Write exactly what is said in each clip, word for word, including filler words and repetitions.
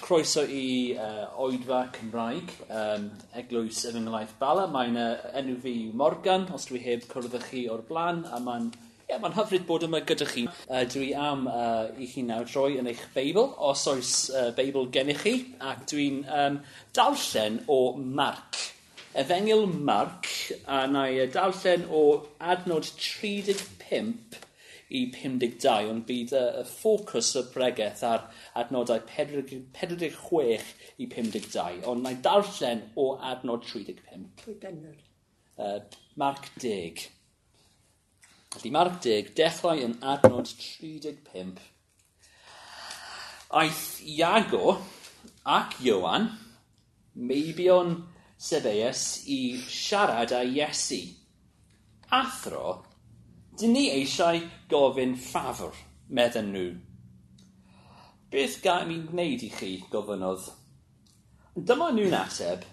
Croeso i uh, Oedfa Cymraeg, um, Eglwys Efengylaeth Bala. Mae'n uh, enw fi yw Morgan, os dwi heb cwrdd â chi o'r blaen, a mae'n yeah, mae'n hyfryd bod yma gyda chi. Uh, dwi am uh, i chi nawr droi yn eich Beibl, os oes uh, Beibl gennych chi, ac dwi'n um, darllen o Marc. Efengyl Marc, a na i darllen o adnod tri deg pump i pum deg dau, ond bydd y, y ffocws y bregeth ar adnodau pedwar deg chwech i pum deg dau, ond na i darllen o adnod tri deg pump. Pwy bennod? Uh, Marc deg. Felly Marc deg, dechrau yn adnod tri deg pump. Aeth Iago ac Ioan, meibion Sebeus, i siarad â Iesu. Athro, dyn ni eisiau gofyn ffafr, medden nhw. Beth ga i mi wneud i chi, gofynnodd. Dyma nhw'n ateb,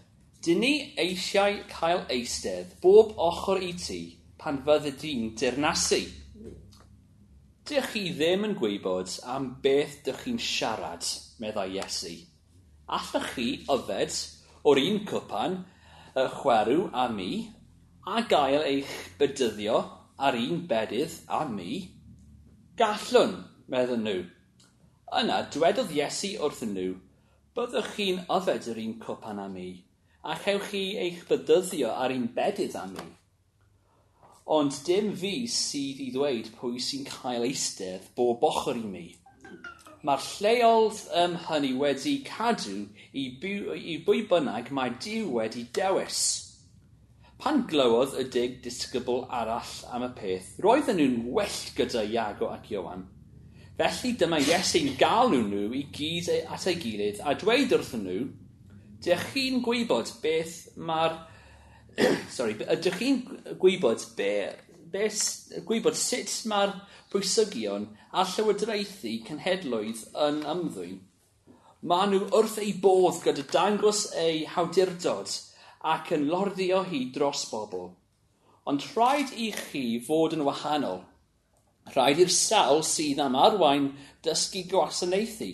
dyn ni eisiau cael eistedd bob ochr i ti pan fyddi di'n dirnasu. Dych chi ddim yn gwybod am beth dych chi'n siarad, meddai Iesu. Allwch chi yfed o'r un cwpan y chwerw a mi, a gael eich bedyddio ar un bedydd a mi? Gallwn, medden nhw. Yna dwedodd Iesu wrthyn nhw, byddwch chi'n yfed yr un cwpan â mi, a chewch chi eich bedyddio ar un bedydd â mi. Ond dim fi sydd i ddweud pwy sy'n cael eistedd bob ochr i mi. Mae'r lleoedd um, hynny wedi cadw i, by, i bwy bynnag mae Duw wedi dewis. Pan glywodd y deg disgybl arall am y peth, roedden nhw'n wyllt gyda Iago ac Ioan. Felly dyma Iesu'n galw nhw i gyd at ei gilydd a dweud wrthyn nhw, dych chi'n gwybod beth mae'r... Sorry, ydych chi'n gwybod be, be, gwybod sut mae'r pwysigion a llywodraethu cenhedloedd yn ymddwyn? Maen nhw wrth eu bodd gyda dangos eu hawdurdod ac yn lorddio hi dros bobl. Ond rhaid i chi fod yn wahanol. Rhaid i'r sawl sydd am arwain dysgu gwasanaethu,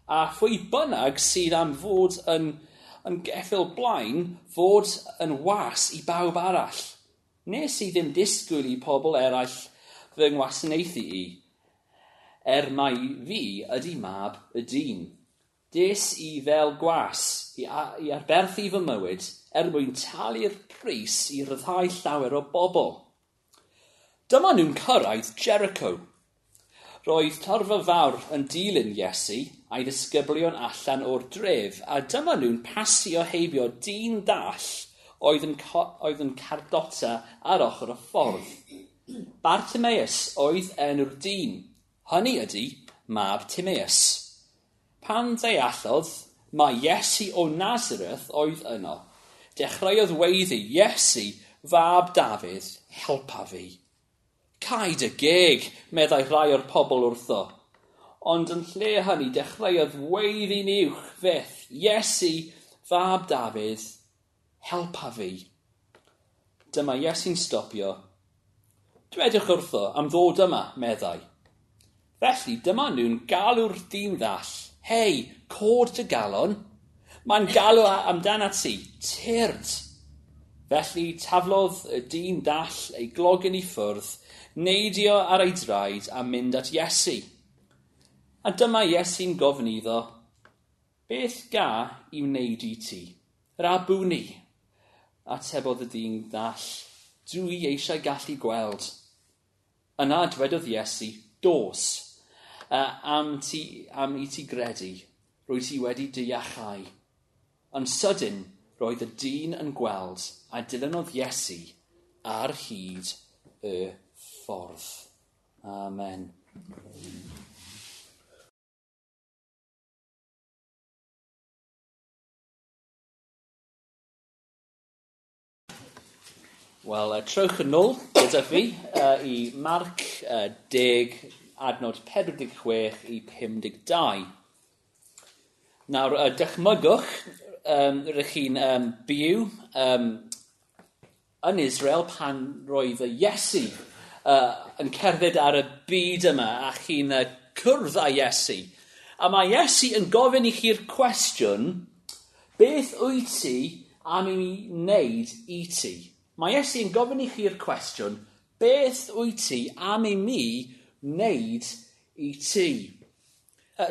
a phwy bynnag sydd am fod yn, yn geffyl blaen fod yn was i bawb arall. Nes i ddim disgwyl i pobl eraill fy ngwasanaethu i, er mai fi ydy mab y dyn. Des i fel gwas i, i arberthu fy mywyd er mwyn talu'r pris i ryddhau llawer o bobl. Dyma nhw'n cyrraedd Jericho. Roedd torfa fawr yn dilyn Iesu a'i ddisgyblion allan o'r dref, a dyma nhw'n pasio heibio dyn dall oedd yn, oedd yn cardota ar ochr y ffordd. Bartimaeus oedd enw'r dyn, hynny ydy mab Timaeus. Pan ddeallodd mai Iesu o Nazareth oedd yno, dechreuodd weiddi, Iesu, fab Dafydd, helpa fi. Cau dy geg, meddai rhai o'r pobl wrtho. Ond yn lle hynny dechreuodd weiddi'n uwch fyth, Iesu, fab Dafydd, helpa fi. Dyma Iesu'n stopio. Dwedwch wrtho am ddod yma, meddai. Felly dyma nhw'n galw'r dyn ddall. Hei, cod dy galon. Mae'n galw amdanat ti, tyrd. Felly taflodd y dyn dall ei glogyn i ffwrdd, neidio ar ei draed a mynd at Iesu. A dyma Iesu'n gofyn iddo, beth ga i wneud i ti? Rabwni, atebodd y dyn ddall, dwi eisiau gallu gweld. Yna dwedodd Iesu, dos, am, ti, am i ti gredu, rwy ti wedi dy iachau. Yn sydyn, roedd y dyn yn gweld a dilynodd Iesu ar hyd y ffordd. Amen. Wel, uh, trowch yn ôl gyda fi uh, i Marc uh, deg, adnod pedwar deg chwech i pum deg dau. Nawr, uh, dychmygwch, um, rydych chi'n um, byw um, yn Israel pan roedd y Iesu uh, yn cerdded ar y byd yma a chi'n uh, cwrdd â Iesu. A mae Iesu yn gofyn i chi'r cwestiwn, beth wyt ti am i mi wneud i ti? Mae Iesu yn gofyn i chi'r cwestiwn, beth wyt ti am i mi wneud i ti?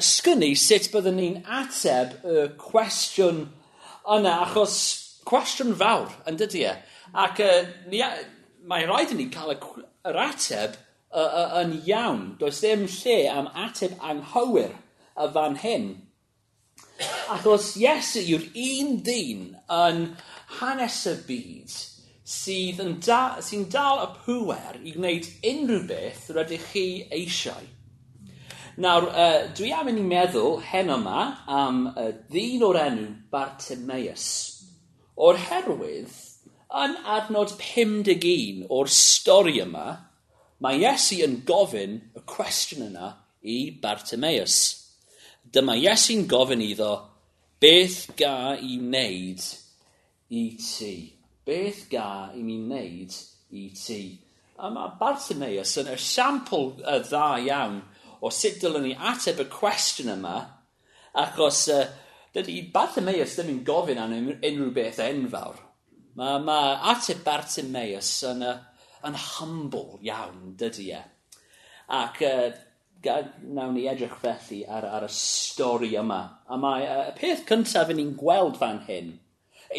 Sgwn i sut byddwn ni'n ateb y cwestiwn yna, achos cwestiwn fawr, yn dydy e? Ac uh, ni, mae rhaid i ni cael y, yr ateb uh, uh, yn iawn. Does ddim lle am ateb anghywir y fan hyn. Achos Iesu yw'r un dyn yn hanes y byd sydd yn da, sy'n dal y pŵer i gwneud unrhyw beth rydych chi eisiau. Nawr, uh, dwi am i ni meddwl heno yma am y ddyn o'r enw Bartimaeus. O'r herwydd, yn adnod pum deg un o'r stori yma, mae Iesu yn gofyn y cwestiwn yna i Bartimaeus. Dyma Iesu'n gofyn iddo, beth ga i wneud i ti? Beth ga i mi wneud i ti? A mae Bartimaeus yn esiampl dda iawn o sut dylwn ni ateb y cwestiwn yma, achos uh, dydy Bartimaeus ddim yn gofyn am unrhyw beth enfawr. Mae, mae ateb Bartimaeus yn, uh, yn humble iawn, dydy e. Ac uh, nawn ni edrych felly ar, ar y stori yma. A mae uh, y peth cyntaf yn ni'n gweld fan hyn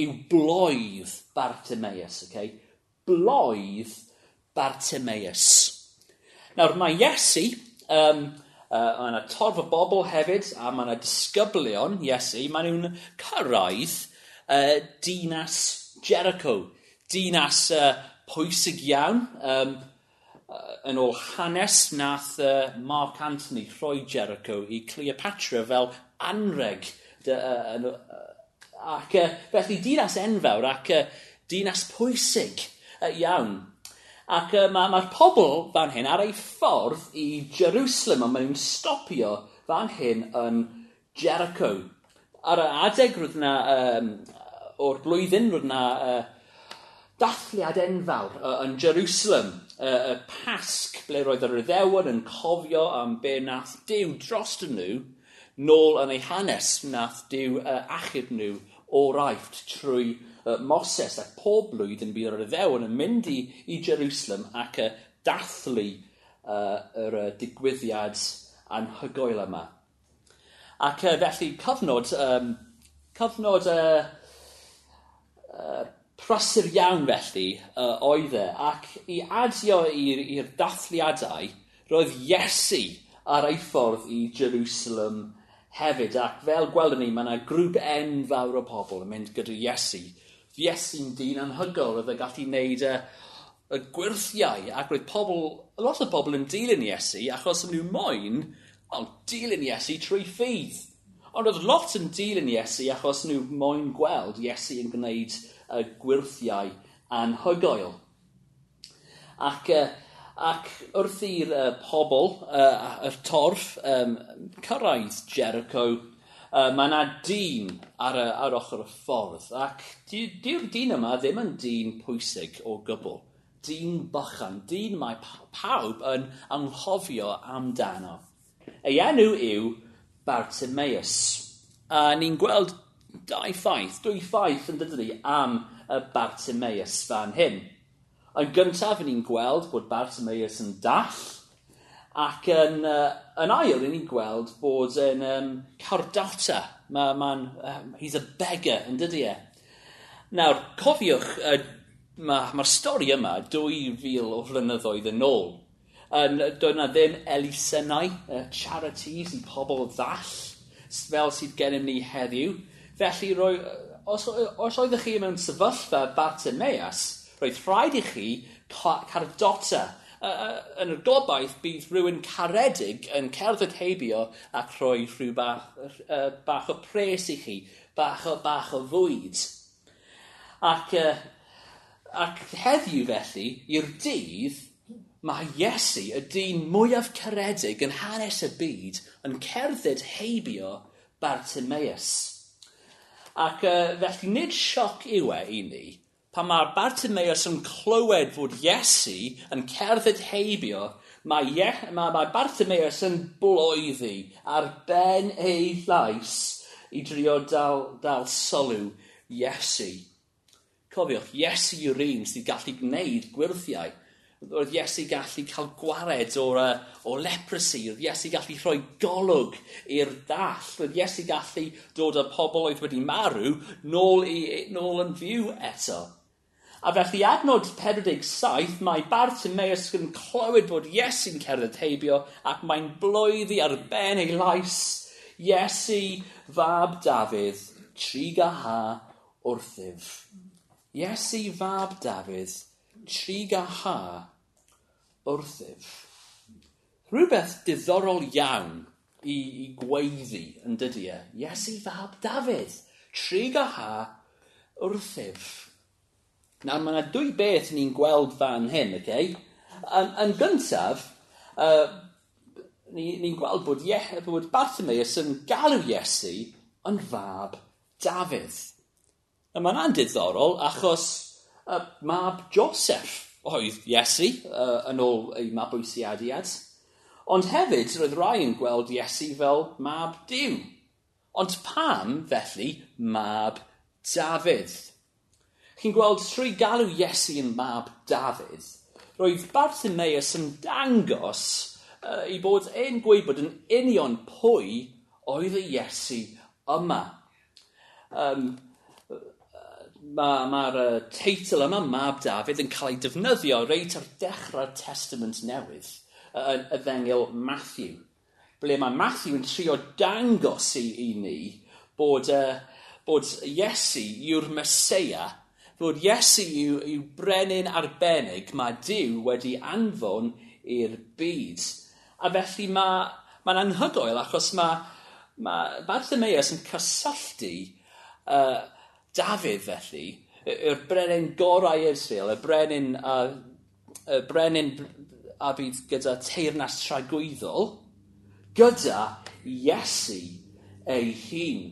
yw bloedd Bartimaeus. Okay? Bloedd Bartimaeus. Nawr mae Iesu, um, uh, mae yna torf o bobl hefyd, a mae yna disgyblion Iesu, maen nhw'n cyrraedd uh, dinas Jericho. Dinas uh, pwysig iawn. Um, uh, yn ôl hanes, nath uh, Mark Antony rhoi Jericho i Cleopatra fel anreg. Dy, uh, uh, ac uh, felly dinas enfawr ac uh, dinas pwysig uh, iawn. Ac uh, mae'r ma pobl fan hyn ar ei ffordd i Jerusalem, a maen nhw'n stopio fan hyn yn Jericho. Ar y adeg roedd yna, um, o'r blwyddyn, roedd yna uh, dathliad enfawr uh, yn Jerusalem, uh, y Pasg, ble roedd yr Iddewon yn cofio am be nath Duw drost nhw nôl yn ei hanes, nath Duw uh, achub nhw o'r Aifft trwy uh, Moses, ac pob blwyddyn bydd yr Iddewon yn mynd i, i Jerusalem ac uh, dathlu uh, yr uh, digwyddiad anhygoel yma. Ac uh, felly cyfnod, um, cyfnod uh, uh, prysur iawn felly uh, oedd e, ac i adio i'r dathliadau, roedd Iesu ar ei ffordd i Jerusalem hefyd, ac fel gwelwn ni, mae yna grŵp enfawr o pobl yn mynd gyda Iesu. Iesu'n dyn anhygoel, oedd e gallu gwneud y, y gwyrthiau, ac roedd pobl, lot o bobl yn dilyn Iesu, achos nhw moyn, well, dilyn Iesu trwy ffydd. Ond roedd lot yn dilyn Iesu achos nhw moyn gweld Iesu yn gwneud y gwyrthiau anhygoel. Ac, ac wrth i'r uh, pobl, uh, y torf, um, cyrraedd Jericho, uh, mae yna dyn ar, y, ar ochr y ffordd. Ac dyw'r dyn yma ddim yn dyn pwysig o gwbl. Dyn bychan, dyn mae pawb yn anghofio amdano. Ei enw yw Bartimaeus. A ni'n gweld dau ffaith, dwy ffaith yn dydy am y Bartimaeus fan hyn. Yn gyntaf, ni'n gweld bod Bartimaeus yn dall, ac yn, uh, yn ail, ni'n gweld bod yn um, cardota. Ma, ma'n, um, he's a beggar, yn dydy e. Nawr, cofiwch, uh, mae'r ma stori yma dwy fil o flynyddoedd yn ôl. Yn, doedd yna ddim elusennau, uh, charities i pobl ddall, fel sydd gennym ni heddiw. Felly, roi, os, os oeddech chi mewn sefyllfa Bartimaeus, roedd rhaid i chi cardota. Uh, yn y gobaith bydd rhywun caredig yn cerdded heibio ac rhoi rhyw bach, uh, bach o pres i chi, bach o, bach o fwyd. Ac, uh, ac heddiw felly, i'r dydd, mae Iesu, y dyn mwyaf caredig yn hanes y byd, yn cerdded heibio Bartimaeus. Ac uh, felly nid sioc yw e i ni, pan mae Bartimaeus yn clywed fod Iesu yn cerdded heibio, Mae, Ie, mae, mae Bartimaeus yn bloeddi ar ben ei llais i drio dal, dal sylw Iesu. Cofiwch, Iesu yw'r un sydd gallu gwneud gwyrthiau. Roedd Iesu gallu cael gwared o'r, uh, o leprosy. Roedd Iesu gallu rhoi golwg i'r dall. Roedd Iesu gallu dod â pobl oedd wedi marw nôl, i, nôl yn fyw eto. A felly adnod pedwar deg saith, mae Bartimaeus yn clywed bod Iesu'n cerdded heibio ac mae'n bloeddi ar ben ei lais. Iesu, fab Dafydd, trugarha wrthyf. Iesu, fab Dafydd, trugarha wrthyf. Rhywbeth diddorol iawn i, i gweiddi yn dydy e. Iesu, fab Dafydd, trugarha wrthyf. Nawr, mae yna dwy beth ni'n gweld fan hyn, okay? Yn, yn gyntaf, uh, ni'n ni gweld bod, Ie, bod Bartimaeus yn galw Iesu yn fab Dafydd. A mae'n hynna'n diddorol achos uh, mab Joseph oedd Iesu uh, yn ôl ei mabwysiadiad. Ond hefyd, roedd rai yn gweld Iesu fel mab Duw. Ond pam, felly, mab Dafydd? Chi'n gweld, trwy galw Iesu yn mab Dafydd, roedd Bartimaeus yn dangos uh, ei bod e'n gwybod yn union pwy oedd y Iesu yma. Um, Mae'r ma uh, teitl yma, Mab Dafydd, yn cael ei defnyddio reit ar dechrau'r Testament Newydd, uh, y Efengyl Matthew, ble mae Matthew yn trio dangos i, i ni bod, uh, bod Iesu yw'r Meseia, bod Iesu yw, yw brenin arbennig mae Duw wedi anfon i'r byd. A felly mae'n ma anhygoel achos mae, mae Bartimaeus yn cysylltu uh, Dafydd felly, yw'r brenin gorau Israel, y brenin, uh, y brenin a bydd gyda teyrnas tragwyddol, gyda Iesu ei hun.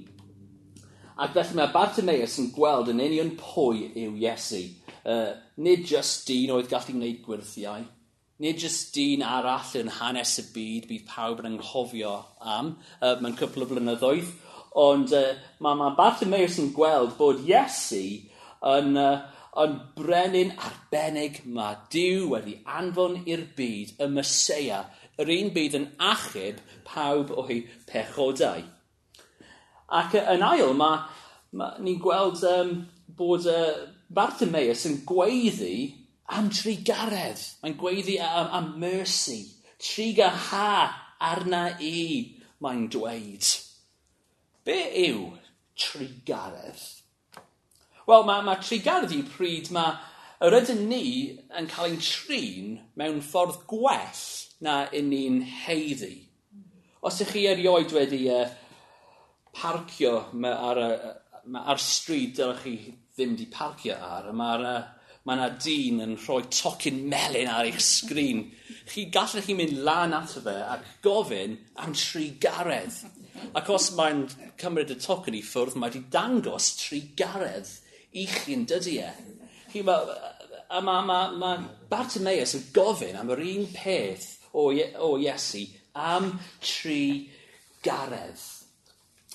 Ac felly mae Bartimaeus yn gweld yn union pwy yw Iesu. Uh, nid just dyn oedd gallu gwneud gwyrthiau, nid just dyn arall yn hanes y byd bydd pawb yn anghofio am uh, mewn cwpl o blynyddoedd, ond uh, mae, mae Bartimaeus yn gweld bod Iesu yn, uh, yn brenin arbennig mae Duw wedi anfon i'r byd, y Meseia, yr un byd yn achub pawb o'u pechodau. Ac yn ail, mae, mae, ni'n gweld um, bod uh, Bartimaeus yn gweiddi am trugaredd. Mae'n gweiddi am, am mercy. Trugarha arna i, mae'n dweud. Be yw trugaredd? Wel, mae, mae trugaredd yw pryd mae yr ydyn ni yn cael ein trin mewn ffordd gwell na un ni'n haeddu. Os ych chi erioed wedi uh, parcio ar, y, ar stryd dylech chi ddim di parcio ar, mae'r uh, mae yna dyn yn rhoi tocyn melyn ar eich sgrin. Chi gallech chi mynd lan ato fe ac gofyn am trugaredd. Ac os mae'n cymryd y tocyn i ffwrdd, mae wedi dangos trugaredd i chi yn dydy e. Chi, ma, a mae ma, ma Bartimaeus yn gofyn am yr un peth o, o Iesu, am trugaredd.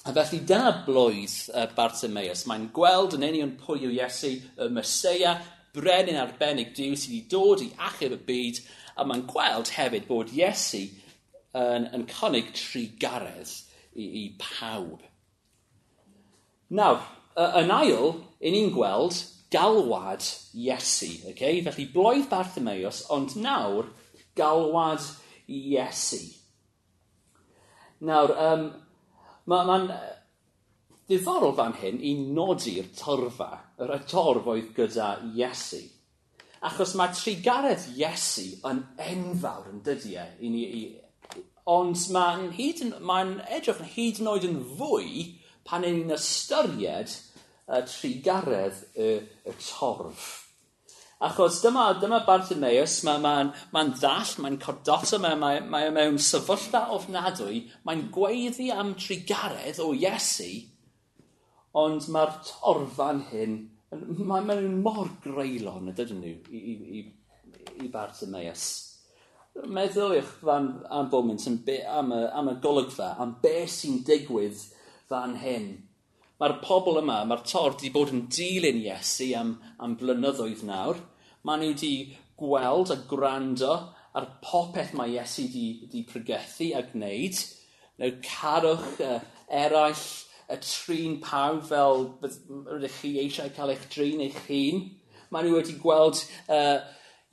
A felly dyna blwydd uh, Bartimaeus. Mae'n gweld yn union pwy yw Iesu, y Meseia, brenin arbennig Duw sydd wedi dod i achub y byd, a mae'n gweld hefyd bod Iesu yn, yn cynnig trugaredd i, i pawb. Nawr, yn ail, i ni'n gweld galwad Iesu. Okay? Felly blwydd Bartimaeus, ond nawr galwad Iesu. Nawr, um, mae'n ma diddorol fan hyn i nodi'r torfa, yr torf oedd gyda Iesu. Achos mae trugaredd Iesu yn enfawr yn dydy e. I ni, i, ond mae'n mae edrych yn hyd yn oed yn fwy pan ni'n ystyried y trugaredd y, y torf. Achos dyma, dyma Bartimaeus, mae'n ma, ma ddall, mae'n cordota, mae, mae, mae mewn sefyllfa ofnadwy, mae'n gweiddi am trugaredd o Iesu, ond mae'r torfan hyn, mae'n mae mor greulon, ydyn nhw, i, i, i, i Bartimaeus. Meddyliwch fan am foment am, be, am, y, am y golygfa, am be sy'n digwydd fan hyn. Mae'r pobl yma, mae'r torf wedi bod yn dilyn Iesu am, am blynyddoedd nawr. Maen nhw wedi gweld a gwrando ar popeth mae Iesu wedi, wedi pregethu a gwneud. Nhw carwch uh, eraill, y trin pawb fel rydych chi eisiau cael eich drin eich hun. Maen nhw wedi gweld uh,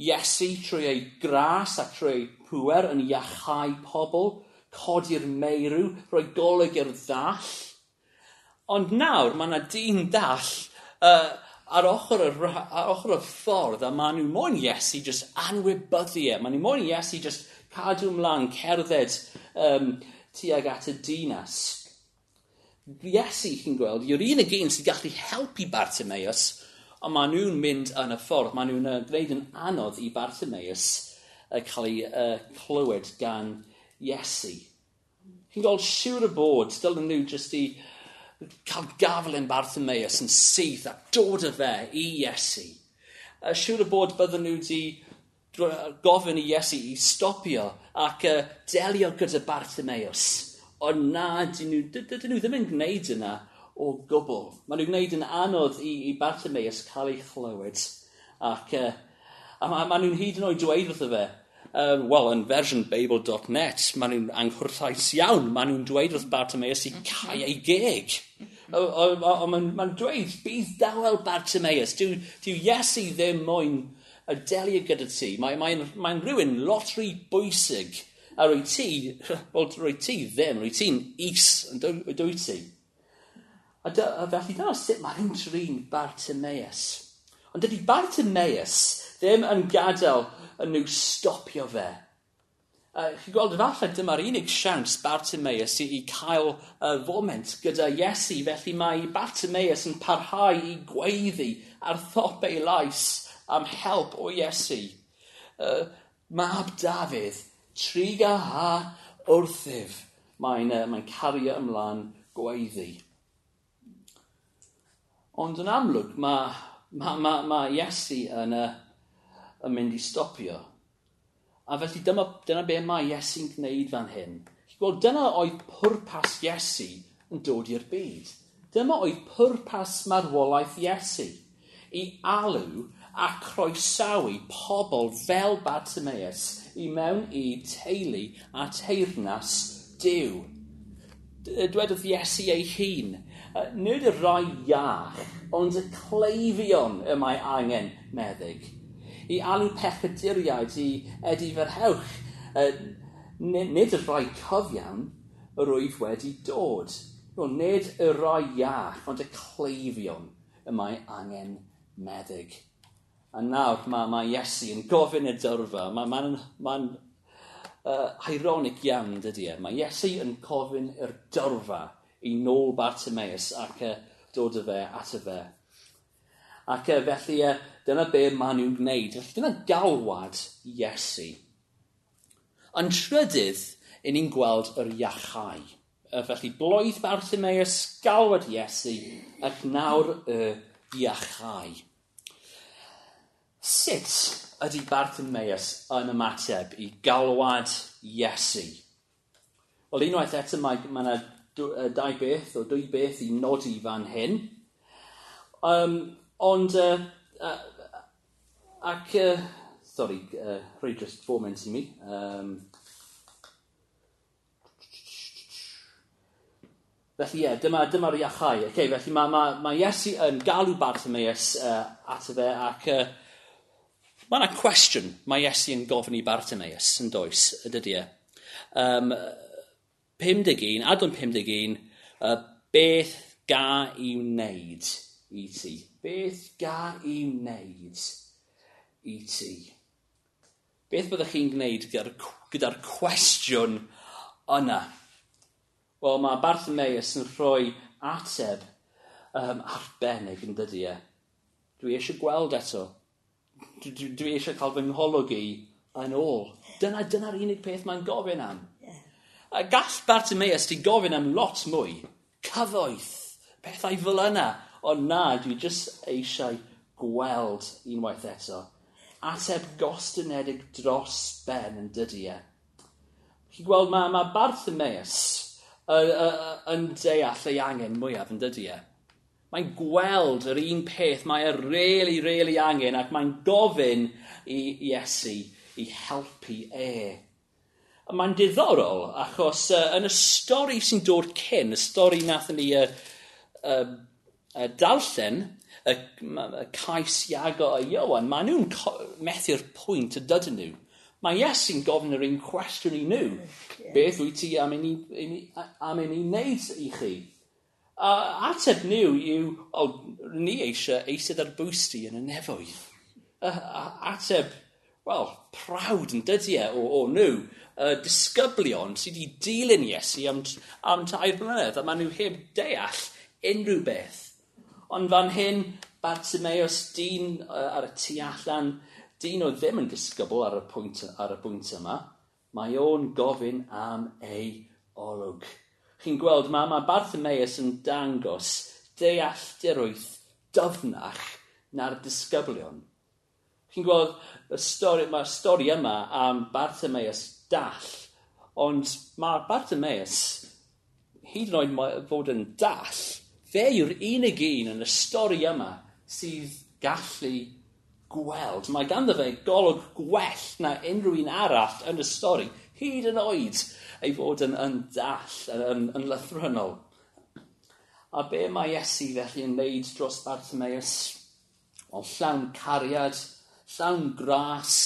Iesu trwy ei gras a trwy ei pŵer yn iachau pobl, codi'r meirw, rhoi golwg i'r ddall. Ond nawr mae yna dyn dall uh, ar, ochr y, ar ochr y ffordd a maen nhw moyn Iesu just anwybyddu e. Maen nhw moyn Iesu just cadw ymlaen cerdded um, tuag at y dinas. Iesu, chi'n gweld, yw'r unig un sy'n gallu helpu Bartimaeus, ond maen nhw'n mynd yn y ffordd. Maen nhw'n gwneud yn anodd i Bartimaeus uh, cael ei uh, clywed gan Iesu. Chi'n gweld, siŵr o bod, dylen nhw jyst i cael gafel yn Bartimaeus yn syth a dod â fe i Iesu. Uh, siŵr o bod bydden nhw wedi gofyn i Iesu i stopio ac uh, delio gyda Bartimaeus. Ond na, dyn nhw, dydyn nhw ddim yn gwneud yna o gwbl. Maen nhw'n gwneud yn anodd i, i Bartimaeus cael ei chlywed. Ac uh, a ma, ma nhw'n hyd yn oed dweud wrtho fe, um, wel, yn fersiwn Beibl dot net, maen nhw'n anghwrtais iawn. Maen nhw'n dweud wrth Bartimaeus i cau ei geg. Ond maen ma dweud, bydd dawel Bartimaeus. Dyw, dyw Iesu ddim moyn y delio gyda ti. Mae'n mae, mae rhywun lot rhy bwysig. A rwy ti, wel, rwy ti ddim, rwy ti'n is, yn dwy ti. A, dy, a felly dyna sut mae nhw'n trin Bartimaeus. Ond dydy Bartimaeus ddim yn gadael yn nhw stopio fe. Uh, chi'n gweld, efallai dyma'r unig siawns Bartimaeus i, i cael uh, foment gyda Iesu, felly mae Bartimaeus yn parhau i gweiddi ar thop ei lais am help o Iesu. Uh, Mab Dafydd, triga ha wrthyf. Mae'n uh, mae cario ymlaen gweiddi. Ond yn amlwg, mae ma, ma, ma Iesu yn, uh, yn mynd i stopio. A felly dyma, dyna be mae Iesu'n gwneud fan hyn. Wel, dyna oedd pwrpas Iesu yn dod i'r byd. Dyma oedd pwrpas marwolaeth Iesu. I alw a croesawu pobl fel Bartimaeus i mewn i teulu a teyrnas Duw. Dwedodd Iesu ei hun, nid y rai iach, ond y cleifion y mae angen meddyg. I alw pechaduriaid i edifarhewch, nid y rhai cyfiawn yr wyf wedi dod. Wel, nid y rhai iach, ond y cleifion y mae angen meddyg. A nawr mae, mae Iesu yn gofyn y dyrfa. Mae'n ma, ma, uh, ironic iawn, dydy e. Mae Iesu yn gofyn i'r dyrfa i nôl Bartimaeus ac uh, dod â fe ato fe. Ac uh, felly uh, dyna be maen nhw'n gwneud. Felly dyna galwad Iesu. Yn trydydd, i ni'n gweld yr iachau. Uh, felly bloedd Bartimaeus, galwad Iesu, ac nawr y iachau. Sut ydy Bartimaeus yn ymateb i galwad Iesu? Wel, unwaith eto mae, mae yna dau beth o dwy beth i nodi fan hyn. Um, ond, uh, uh, ac, uh, sorry, uh, rhoi just foment i mi. Um, felly ie, yeah, dyma, dyma'r iachau. Okay, felly mae, mae, mae Iesu yn galw Bartimaeus uh, ato fe ac uh, mae yna cwestiwn mae Iesu yn gofyn i Bartimaeus yn does, ydy e. Um, pum deg un, adran pum deg un, uh, beth ga i wneud i ti? Beth ga i wneud i ti? Beth byddwch chi'n gwneud gyda'r gyda cwestiwn yna? Wel, mae Bartimaeus yn rhoi ateb um, arbennig yn dydy e. Dwi eisiau gweld eto. Dwi, dwi, dwi eisiau cael fy ngholwg i yn ôl. Dyna, dyna'r unig peth mae'n gofyn am. A gall Bartimaeus di gofyn am lot mwy. Cyfoeth, pethau fel yna. Ond na, dwi jyst eisiau gweld unwaith eto. Ateb gostynedig dros ben yn dydy e. Chi'n gweld, mae, mae Bartimaeus uh, uh, yn deall ei angen mwyaf yn dydy e. Mae'n gweld yr un peth mae e really, really angen ac mae'n gofyn i Iesu i helpu e. A mae'n diddorol achos uh, yn y stori sy'n dod cyn, y stori nathon ni uh, uh, uh, darllen, y, y cais Iago a Ioan, maen nhw'n methu'r pwynt y dydyn nhw. Mae Iesu'n gofyn yr un cwestiwn i nhw. Yeah. Beth wyt ti am i ni, am i ni wneud i chi? A ateb nhw yw, o, ni eisiau eistedd ar bwys di yn y nefoedd. A, a, ateb, wel, proud yn dydy e o, o nhw. Uh, disgyblion sydd wedi dilyn Iesu am, am tair blynedd, a maen nhw heb deall unrhyw beth. Ond fan hyn, Bartimaeus, dyn uh, ar y tu allan, dyn oedd ddim yn disgybl ar y pwynt, ar y pwynt yma, mae o'n gofyn am ei olwg. Chi'n gweld, mae, mae Bartimaeus yn dangos dealltwriaeth dyfnach na'r disgyblion. Chi'n gweld, y stori, mae'r stori yma am Bartimaeus dall, ond mae Bartimaeus, hyd yn oed fod yn dall, fe yw'r unig un yn y stori yma sydd gallu gweld. Mae ganddo fe golwg gwell na unrhyw un arall yn y stori, hyd yn oed ei fod yn, yn dall, yn, yn, yn lythrennol. A be mae Iesu felly yn wneud dros Bartimaeus? Wel, llawn cariad, llawn gras,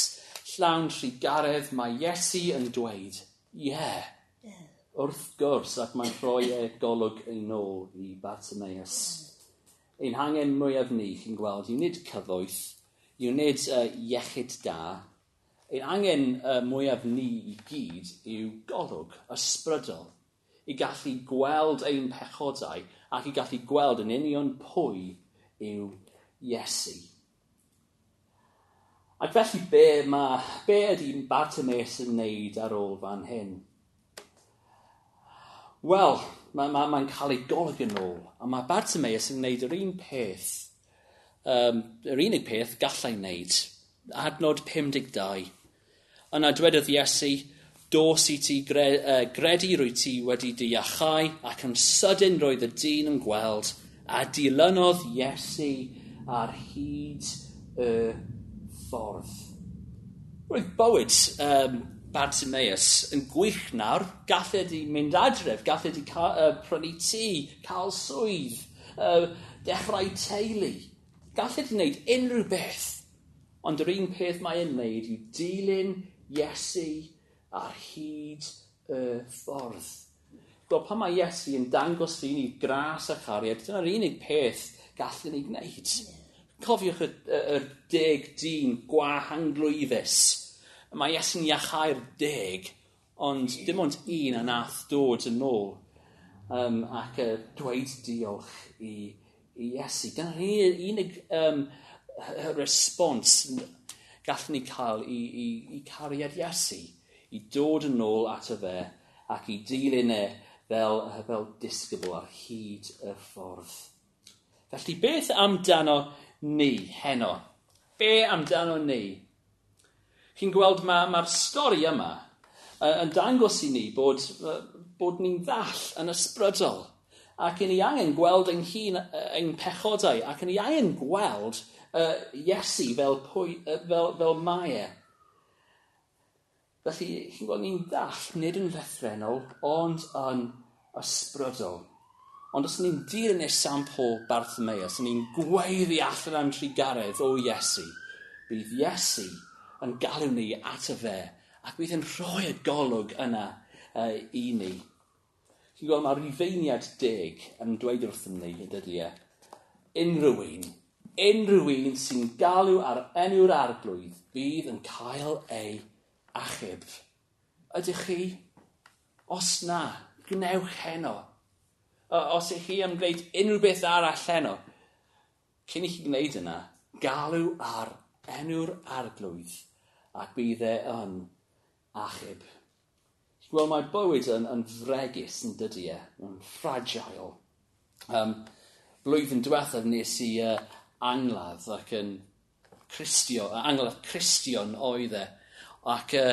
llawn trugaredd, mae Iesu yn dweud, ie, yeah, yeah. Wrth gwrs, ac mae'n rhoi e golwg ei nôl i Bartimaeus. Ein hangen mwyaf ni, chi'n gweld, yw nid cyfoeth, yw nid uh, iechyd da. Ein angen uh, mwyaf ni i gyd yw golwg ysbrydol, i gallu gweld ein pechodau ac i gallu gweld yn union pwy yw Iesu. Ac felly be, ma, be ydy Bartimaeus yn wneud ar ôl fan hyn? Wel, mae'n ma, ma cael ei golwg yn ôl, a mae Bartimaeus yn wneud yr un peth, um, yr unig peth gallai wneud. Adnod pum deg dau. Yna dwedodd Iesu, dos i ti gre, uh, gredu rwy ti wedi dy iachau, ac yn sydyn roedd y dyn yn gweld, a dilynodd Iesu ar hyd y ffordd. Roedd bywyd um, Bartimaeus yn gwych nawr. Gallai di mynd adref, gallai di ca, uh, prynu tŷ, cael swydd, uh, dechrau teulu. Gallai di wneud unrhyw beth. Ond yr un peth mae e'n wneud yw dilyn Iesu ar hyd y ffordd. Gweld, pan mae Iesu yn dangos i ni gras a chariad, dyna'r unig peth gallwn ni gwneud. Cofiwch y, y, y deg dyn gwahanglwyfus. Mae Iesu'n iachau'r deg, ond dim ond un a nath dod yn ôl um, ac uh, dweud diolch i, i Iesu. Dyna'r unig um, respons gallwn ni cael i, i, i cariad Iesu, i dod yn ôl ato fe ac i dilyn e fel, fel disgybl ar hyd y ffordd. Felly beth amdano ni heno? Be amdano ni? Chi'n gweld mae'r ma stori yma uh, yn dangos i ni bod, uh, bod ni'n ddall yn ysbrydol ac yn ni angen gweld ein hun, ein pechodau, ac yn ni angen gweld uh, Iesu fel, pwy, uh, fel, fel mae e. Felly, chi'n gweld ni'n ddall, nid yn lythrennol, ond yn ysbrydol. Ond os ni'n dilyn esiampl Bartimaeus, ni'n gweiddi allan am trugaredd o Iesu, bydd Iesu yn galw ni ato fe, ac bydd yn rhoi y golwg yna uh, i ni. Chi'n gweld, mae Rhufeiniad deg yn dweud wrthym ni, dydy e, unrhyw un, unrhyw un sy'n galw ar enw'r Arglwydd bydd yn cael ei achub. Ydych chi? Os na, gwnewch heno. Os ych chi am gwneud unrhyw beth arall heno, cyn i chi gwneud yna, galw ar enw'r Arglwydd ac bydd e yn achub. Wel, mae bywyd yn, yn fregus yn dydy e, yn fragile. Um, blwyddyn diwethaf nes i uh, angladd ac yn Cristio, angladd Cristion oedd e. Ac uh,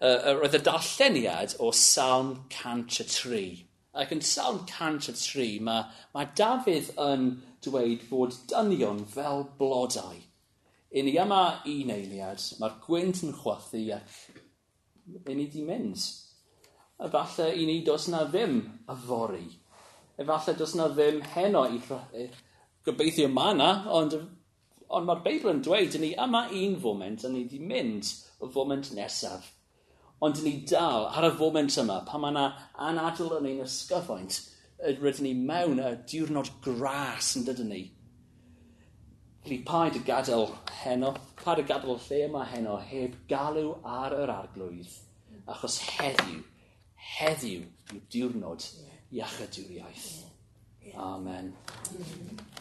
uh, roedd y darlleniad o Salm cant a tri. Ac yn Salm cant a tri, mae, mae Dafydd yn dweud bod dynion fel blodau. I ni yma un eiliad, mae'r gwynt yn chwythu ac i ni di mynd. Efallai i ni does na ddim yfory. Efallai does na ddim heno i gobeithio mae yna, ond, ond mae'r Beibl yn dweud i ni yma un foment a ni di mynd y foment nesaf. Ond ni dal ar y foment yma, pan mae yna anadl yn ein ysgyfaint, rydyn ni mewn y diwrnod gras yn dydyn ni. Felly paid y gadael heno, paid y gadael lle yma heno heb galw ar yr Arglwydd, achos heddiw, heddiw yw diwrnod iachydwriaeth. Amen. Amen.